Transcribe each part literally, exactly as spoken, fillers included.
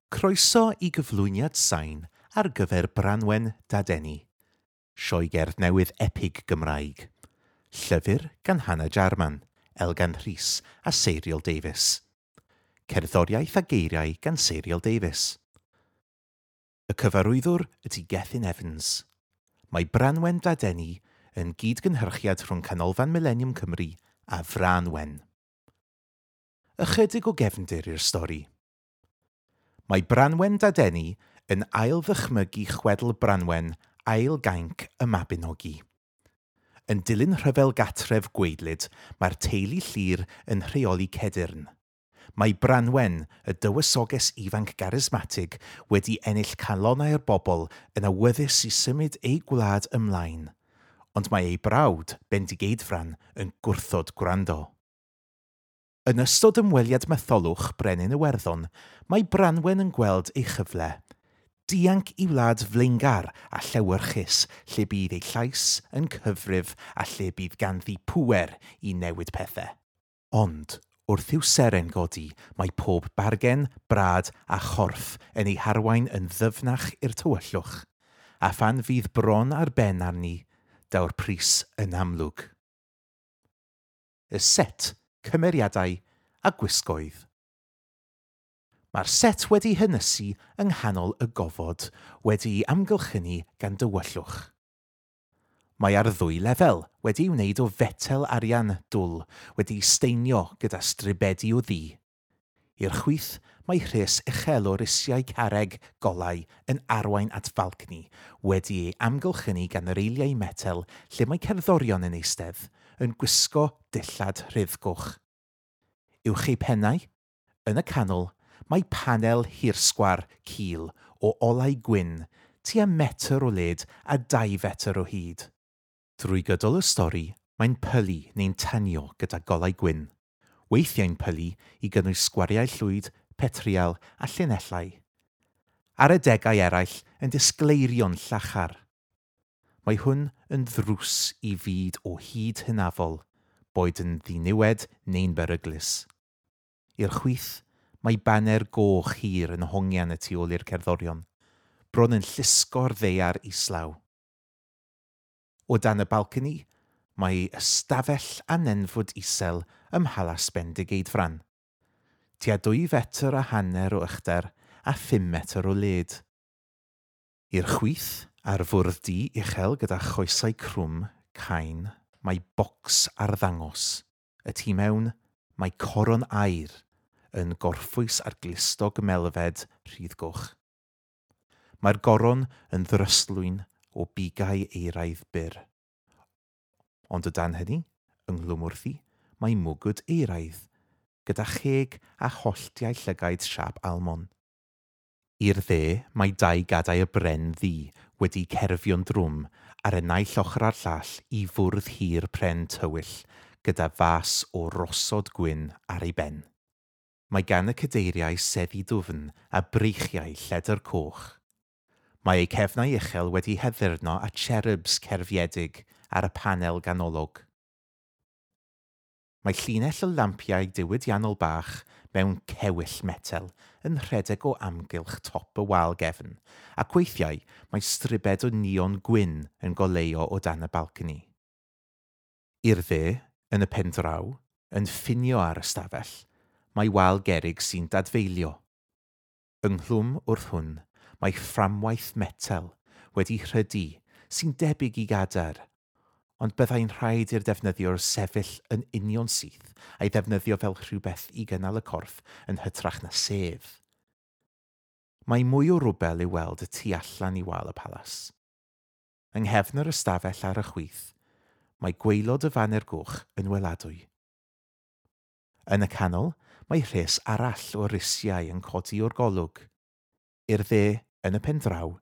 Croeso i gyflwyniad sain ar gyfer Branwen Dadeni, sioe gerdd newydd epig Gymraeg. Llyfr gan Hannah Jarman, Elgan Rhys a Seiriol Davies. Cerddoriaeth a geiriau gan Seiriol Davies. Y cyfarwyddwr ydy Gethin Evans. Mae Branwen Dadeni yn gyd-gynhyrchiad rhwng Canolfan Mileniwm Cymru a Frân Wen. Ychydig o gefndir i'r stori. Mae Branwen Dadeni yn ail-ddychmygu chwedl Branwen ail gainc y Mabinogi. Yn dilyn rhyfel gatref gwaedlyd, mae'r teulu Llŷr yn rheoli Cedyrn. Mae Branwen, y dywysoges ifanc garismatig, wedi ennill calonnau'r bobl yn awyddus i symud ei gwlad ymlaen, ond mae ei brawd, Bendigeidfran, yn gwrthod gwrando. Yn ystod ymweliad Matholwch Brenin Iwerddon, mae Branwen yn gweld ei chyfle. Dianc i wlad flaengar a llewyrchus lle bydd ei llais yn cyfrif a lle bydd ganddi pŵer i newid pethau. Ond, wrth i'w seren godi, mae pob bargen, brad a chorff yn ei harwain yn ddyfnach i'r tywyllwch, a phan fydd bron ar ben arni, daw'r pris yn amlwg. Y set, cymeriadau a gwisgoedd. Mae'r set wedi hynysu yng nghanol y gofod, wedi'i amgylchynu gan dywyllwch. Mae ar ddwy lefel, wedi'i wneud o fetel arian dwl, wedi'i steinio gyda stribedi o ddu. I'r chwith, mae rhes uchel o risiau carreg golau yn arwain at falcni, wedi ei amgylchynu gan reiliau metel lle mae cerddorion yn eistedd, yn gwisgo dillad rhuddgoch. Uwch eu pennau, yn y canol, mae panel hirsgwar cul o olau gwyn, tua metr o led a dau fetr o hyd. Drwy gydol y stori, mae'n pylu neu'n tanio gyda golau gwyn. Weithiau'n pylu i gynnwys sgwariau llwyd, petrial a llinellau. Ar adegau eraill yn disgleirio'n llachar. Mae hwn yn ddrws i fyd o hyd hynafol, boed yn ddiniwed neu'n beryglus. I'r chwith, mae baner goch hir yn hongian y tu ôl i'r cerddorion, bron yn llusgo'r ddaear islaw. O dan y balcony, mae ystafell a nenfwd isel ym Mhalas Bendigeidfran. Tua dwy fetr a hanner o uchder a phum metr o led. I'r chwith, ar fwrdd du uchel gyda choesau crwm, cain, mae bocs arddangos. Y tu mewn, mae coron aur yn gorffwys ar glustog melfed rhuddgoch. Mae'r goron yn ddryslwyn o bigau euraidd byr. Ond o dan hynny, ynghlwm wrthi, mae mwgwd euraidd, gyda cheg a holltiau llygaid siâp almon. I'r dde, mae dau gadair bren ddu wedi cerfio'n drwm ar y naill ochr a'r llall i fwrdd hir pren tywyll gyda fas o rosod gwyn ar ei ben. Mae gan y cadeiriau seddi dwfn a breichiau lledr coch. Mae eu cefnau uchel wedi haddurno â cherubs cerfiedig ar y panel ganolog. Mae llinell o lampiau diwydiannol bach mewn cewyll metel yn rhedeg o amgylch top y wal gefn, ac weithiau mae stribed o neon gwyn yn goleuo o dan y balcony. I'r dde, yn y pen draw, yn ffinio ar ystafell, mae wal gerrig sy'n dadfeilio. Ynghlwm wrth hwn, mae fframwaith metel wedi rhydu sy'n debyg i gadair, ond byddai'n rhaid i'r defnyddiwr sefyll yn union syth a'i ddefnyddio fel rhywbeth i gynnal y corff yn hytrach na sedd. Mae mwy o rwbel i'w weld y tu allan i wal y palas. Yng nghefn yr ystafell ar y chwith, mae gwaelod y faner goch yn weladwy. Yn y canol, mae rhes arall o risiau yn codi o'r golwg. I'r dde, yn y pen draw,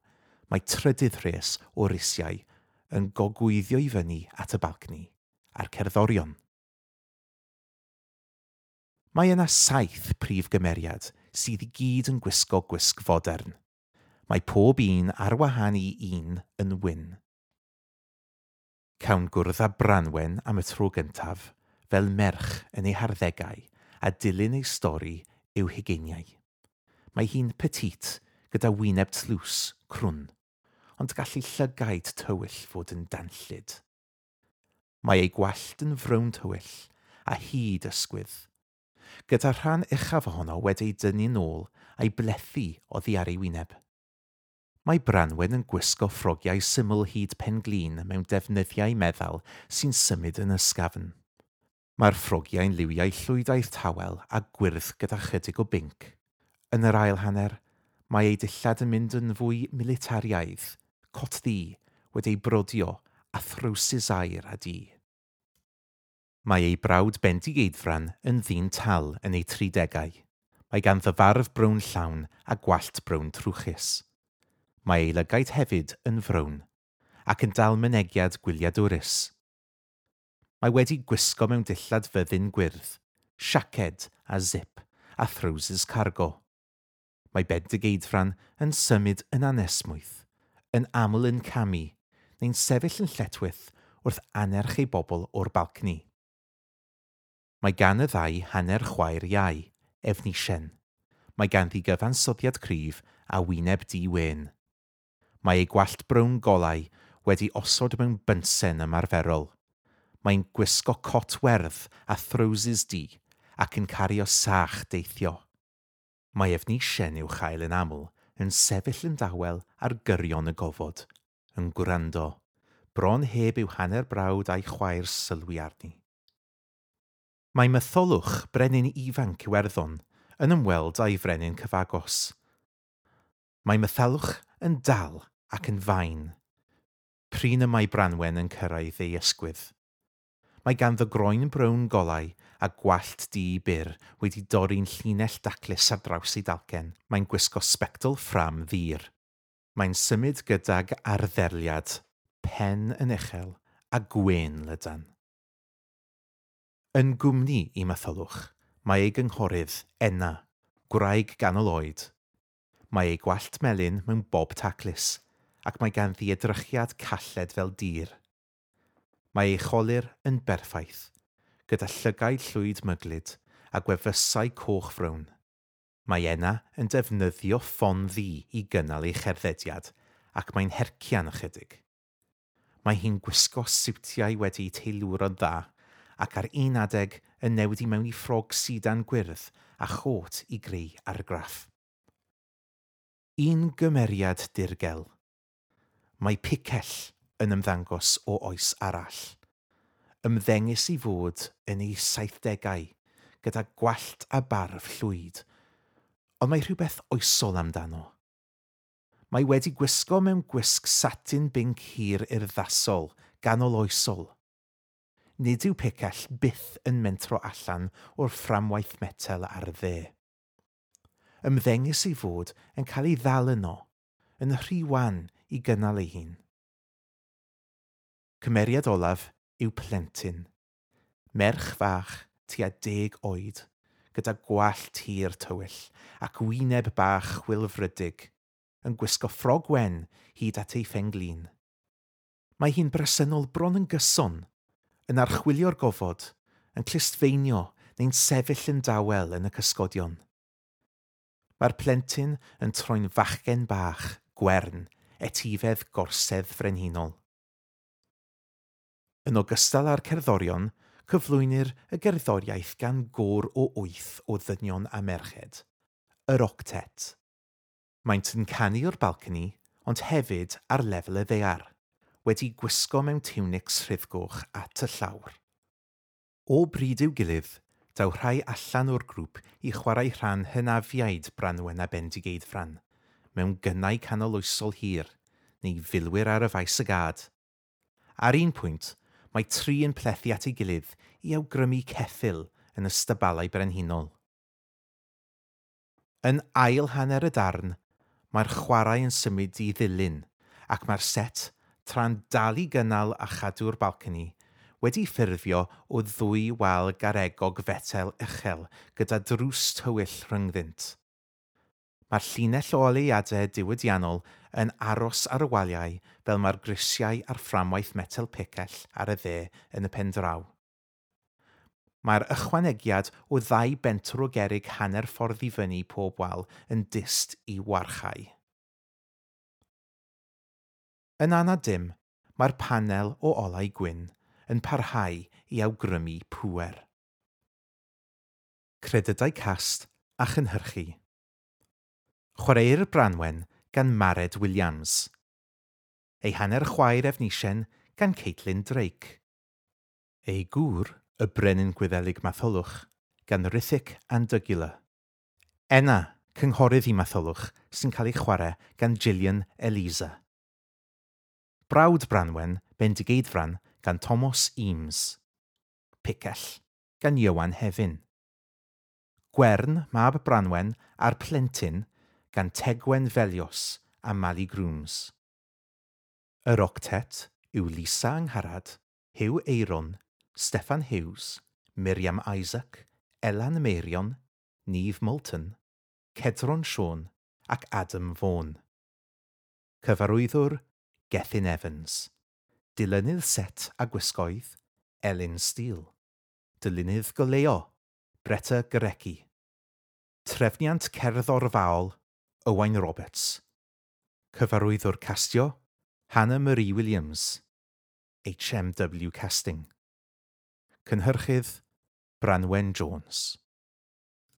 mae trydydd rhes o risiau yn gogwyddio i fyny at y balcony a'r cerddorion. Mae yna saith prif gymeriad sydd i gyd yn gwisgo gwisg fodern. Mae pob un ar wahân i un yn wyn. Cawn gwrdd â Branwen am y tro gyntaf fel merch yn ei harddegau a dilyn ei stori i'w hugeiniau. Mae hi'n petite gyda wyneb tlws, crwn, ond gall ei llygaid tywyll fod yn danllyd. Mae ei gwallt yn frown tywyll a hyd ysgwydd, gyda rhan uchaf ohono wedi ei dynnu nôl a'i blethu oddi ar ei wyneb. Mae Branwen yn gwisgo ffrogiau syml hyd pen-glin mewn defnyddiau meddal sy'n symud yn ysgafn. Mae'r ffrogiau'n liwiau llwydaidd tawel a gwyrdd gyda chydig o binc. Yn yr ail hanner, mae ei dillad yn mynd yn fwy militariaidd, cot ddu, wedi ei brodio a throwsus aur a du. Mae ei brawd Bendigeidfran yn ddyn tal yn ei tridegau. Mae ganddo farf brown llawn a gwallt brown trwchus. Mae ei lygaid hefyd yn frown, ac yn dal mynegiad gwyliadwrus. Mae wedi gwisgo mewn dillad fyddin gwyrdd, siaced a zip a throwsus cargo. Mae Bendigeidfran yn symud yn anesmwyth, yn aml yn camu, neu'n sefyll yn lletchwith wrth anerch ei bobl o'r balcony. Mae gan y ddau hanner chwaer iau, Efnisien. Mae ganddi gyfansoddiad cryf a wyneb di-wên. Mae ei gwallt brown golau wedi osod mewn bynsen ymarferol. Mae'n gwisgo cot werdd a throwsus du ac yn cario sach deithio. Mae Efnisien i'w chael yn aml yn sefyll yn dawel ar gyrion y gofod, yn gwrando, bron heb i'w hanner brawd a'i chwaer sylwi arni. Mae Matholwch, brenin ifanc Iwerddon, yn ymweld â'i frenin cyfagos. Mae Matholwch yn dal ac yn fain. Prin y mae Branwen yn cyrraedd ei ysgwydd. Mae ganddo groen brown golau a gwallt du byr wedi dorri'n llinell daclus ar draws ei dalcen. Mae'n gwisgo sbectol ffram ddur. Mae'n symud gydag arddeliad, pen yn uchel a gwên lydan. Yn gwmni i Matholwch, mae ei gynghorydd, Enna, gwraig ganol oed. Mae ei gwallt melyn mewn bob taclus, ac mae ganddi edrychiad called fel dir. Mae ei cholur yn berffaith, gyda llygaid llwyd myglyd a gwefusau coch frown. Mae Enna yn defnyddio ffon ddu i gynnal ei cherddediad, ac mae'n hercian ychydig. Mae hi'n gwisgo siwtiau wedi'u teilwro'n dda, ac ar un adeg yn newid i mewn i ffrog sidan gwyrdd a chôt i greu argraff. Un gymeriad dirgel. Mae picell yn ymddangos o oes arall. Ymddengys i fod yn ei saithdegau, gyda gwallt a barf llwyd, ond mae rhywbeth oesol amdano. Mae wedi gwisgo mewn gwisg satin binc hir urddasol, ganol oesol. Nid yw picell byth yn mentro allan o'r fframwaith metel ar y dde. Ymddengys ei fod yn cael ei ddal yno, yn rhy wan i gynnal ei hun. Cymeriad olaf yw plentyn. Merch fach tua deg oed, gyda gwallt hir tywyll ac wyneb bach chwilfrydig, yn gwisgo ffrog wen hyd at ei phen-glin. Mae hi'n bresennol bron yn gyson, yn archwilio'r gofod, yn clustfeinio neu'n sefyll yn dawel yn y cysgodion. Mae'r plentyn yn troi'n fachgen bach, gwern, etifedd gorsedd frenhinol. Yn ogystal â'r cerddorion, cyflwynir y gerddoriaeth gan gôr o wyth o ddynion a merched, yr octet. Maent yn canu o'r balcony, ond hefyd ar lefel y ddaear, wedi gwisgo mewn tiwnics rhuddgoch at y llawr. O bryd i'w gilydd, daw rhai allan o'r grŵp i chwarae rhan hynafiaid Branwen a Bendigeidfran, mewn gynnau canoloesol hir, neu filwyr ar y faes y gad. Ar un pwynt, mae tri yn plethu at ei gilydd i awgrymu ceffyl yn y stabalau brenhinol. Yn ail hanner y darn, mae'r chwarae yn symud i ddilyn, ac mae'r set, tra'n dal i gynnal a chadw'r balcony, wedi ffurfio o ddwy wal garegog fetel uchel gyda drws tywyll rhyngddynt. Mae'r llinell o oleuadau diwydiannol yn aros ar y waliau fel mae'r grisiau a'r fframwaith metel picell ar y dde yn y pen draw. Mae'r ychwanegiad o ddau bentwr o gerrig hanner ffordd i fyny pob wal yn dyst i warchau. Yn anad dim, mae'r panel o olau gwyn yn parhau i awgrymu pŵer. Credydau cast a chynhyrchu. Chwaraeir Branwen gan Mared Williams. Ei hanner chwaer Efnisien gan Caitlin Drake. Ei gŵr, y brenin Gwyddelig Matholwch, gan Rithic Andygula. Enna, cynghorydd i Matholwch, sy'n cael ei chwarae gan Gillian Eliza. Brawd Branwen, Bendigeidfran, gan Thomas Eames. Picell, gan Ioan Hefin. Gwern, mab Branwen, a'r plentyn, gan Tegwen Felios a Mali Grooms. Yr octet yw Lisa Angharad, Huw Eiron, Steffan Hughes, Miriam Isaac, Elan Meirion, Neve Moulton, Cedron Siôn ac Adam Vaughan. Cyfarwyddwr Gethin Evans. Dilynydd set a gwisgoedd, Elin Steele. Dylunydd goleuo, Bretta Gorecki. Trefniant cerddorfaol, Owain Roberts. Cyfarwyddwr castio, Hannah Marie Williams. H M W Casting. Cynhyrchydd, Branwen Jones.